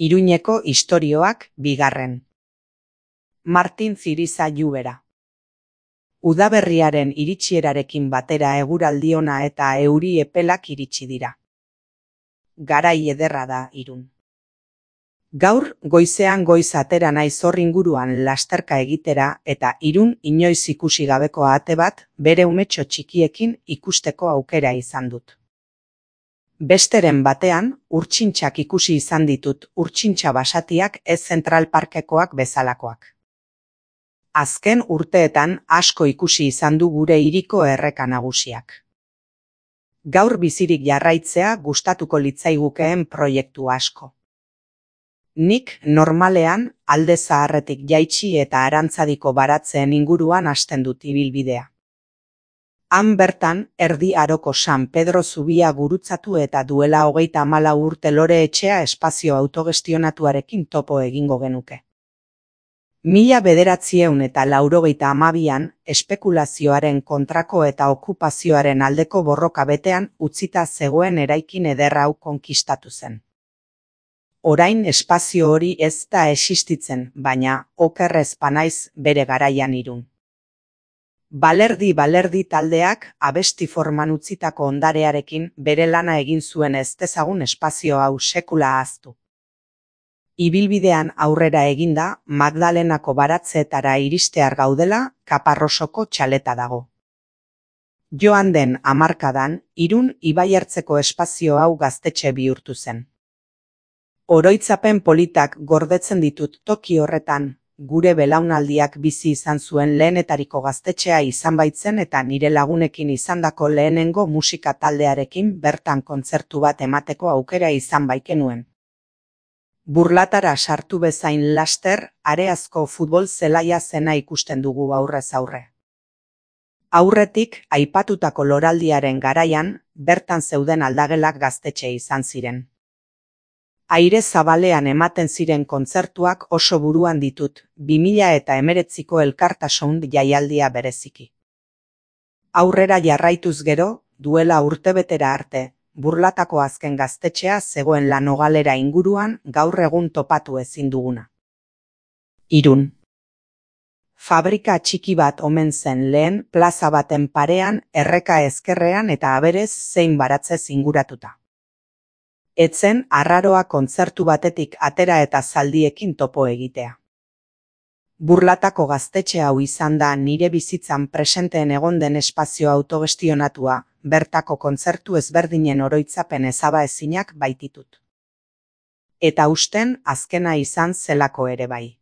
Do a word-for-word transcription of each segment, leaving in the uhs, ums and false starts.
Iruñeko istorioak bigarren. Martin Ziriza Lluvera. Udaberriaren iritsierarekin batera eguraldi ona eta euri epelak iritsi dira. Garai ederra da Irun. Gaur goizean goiz atera naiz hor inguruan lasterka egitera eta Irun inoiz ikusi gabeko ate bat bere umetxo txikiekin ikusteko aukera izan dut. Besteren batean, urtsintxak ikusi izan ditut, urtsintxa basatiak ez Zentral Parkekoak bezalakoak. Azken urteetan asko ikusi izan du gure hiriko erreka nagusiak. Gaur bizirik jarraitzea gustatuko litzaigukeen proiektu asko. Nik normalean Alde Zaharretik jaitsi eta Arantzadiko baratzeen inguruan hasten dut ibilbidea. Han bertan, Erdi Aroko San Pedro zubia gurutzatu eta duela hogeita hamalau urte Lore etxea espazio autogestionatuarekin topo egingo genuke. Mila bederatzieun eta laurogeita hamabian, espekulazioaren kontrako eta okupazioaren aldeko borroka betean utzita zegoen eraikin eder hau konkistatu zen. Orain espazio hori ez da existitzen, baina okerrez banaiz bere garaian Irun. Balerdi Balerdi taldeak abesti forman utzitako ondarearekin bere lana egin zuen ez dezagun espazio hau sekula ahaztu. Ibilbidean aurrera eginda, Magdalenako baratzeetara iristear gaudela, Kaparrosoko txaleta dago. Joan den hamarkadan, Irun ibaiertzeko espazio hau gaztetxe bihurtu zen. Oroitzapen politak gordetzen ditut toki horretan, gure belaunaldiak bizi izan zuen lehenetariko gaztetxea izan baitzen eta nire lagunekin izandako lehenengo musika taldearekin bertan kontzertu bat emateko aukera izan baikenuen. Burlatara sartu bezain laster, areazko futbol zelaia zena ikusten dugu aurrez aurre. Aurretik, aipatutako loraldiaren garaian, bertan zeuden aldagelak gaztetxe izan ziren. Aire zabalean ematen ziren kontzertuak oso buruan ditut, bi mila eta hemeretziko elkartasun jaialdia bereziki. Aurrera jarraituz gero, duela urtebetera arte, Burlatako azken gaztetxea zegoen Lanogalera inguruan gaur egun topatu ezin duguna. Irun. Fabrika txiki bat omen zen lehen plaza baten parean, erreka ezkerrean eta aberez zein baratzez inguratuta. Etzen arraroa kontzertu batetik atera eta zaldiekin topo egitea. Burlatako gaztetxe hau izan da nire bizitzan presenteen egon den espazio autogestionatua, bertako kontzertu ezberdinen oroitzapen ezaba ezinak baititut. Eta usten azkena izan zelako ere bai.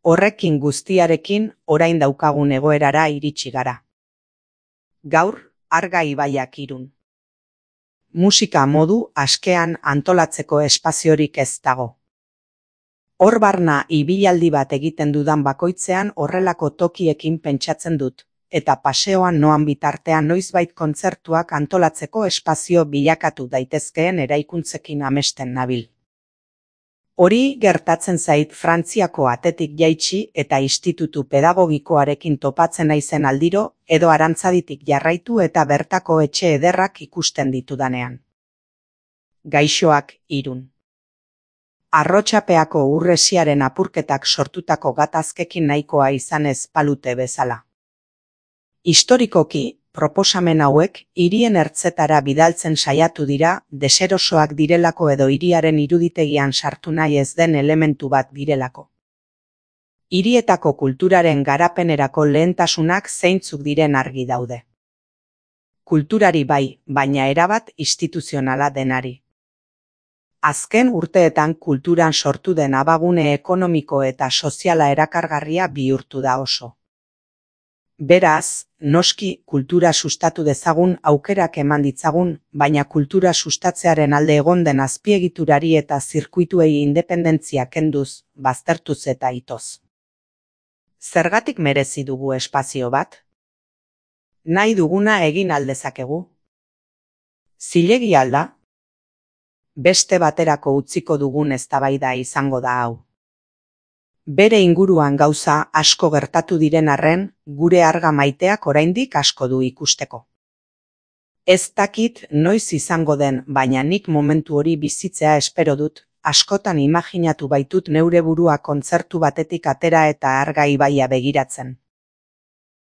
Horrekin guztiarekin orain daukagun egoerara iritsi gara. Gaur, Arga ibaiak Irun. Musika modu askean antolatzeko espaziorik ez dago. Hor barna ibilaldi bat egiten dudan bakoitzean horrelako tokiekin pentsatzen dut, eta paseoan noan bitartean noizbait kontzertuak antolatzeko espazio bilakatu daitezkeen eraikuntzekin amesten nabil. Hori gertatzen zait Frantziako atetik jaitsi eta institutu pedagogikoarekin topatzen naizen aldiro edo Arantzaditik jarraitu eta bertako etxe ederrak ikusten ditudanean. Gaixoak Irun. Arrotxapeako urresiaren apurketak sortutako gatazkekin nahikoa izan ez palute bezala. Historikoki, proposamen hauek hirien ertzetara bidaltzen saiatu dira deserosoak direlako edo hiriaren iruditegian sartu nahi ez den elementu bat direlako. Hirietako kulturaren garapenerako lehentasunak zeintzuk diren argi daude. Kulturari bai, baina erabat instituzionala denari. Azken urteetan kulturan sortu den abagune ekonomiko eta soziala erakargarria bihurtu da oso. Beraz, noski kultura sustatu dezagun aukerak eman ditzagun, baina kultura sustatzearen alde egon den azpiegiturari eta zirkuituei independentzia kenduz, baztertuz eta itoz. Zergatik merezi dugu espazio bat? Nahi duguna egin aldezakegu? Zilegi alda? Beste baterako utziko dugun eztabaida izango da hau. Bere inguruan gauza asko gertatu diren arren, gure Arga maiteak oraindik asko du ikusteko. Ez dakit noiz izango den, baina nik momentu hori bizitzea espero dut, askotan imaginatu baitut neure burua kontzertu batetik atera eta Arga ibaia begiratzen.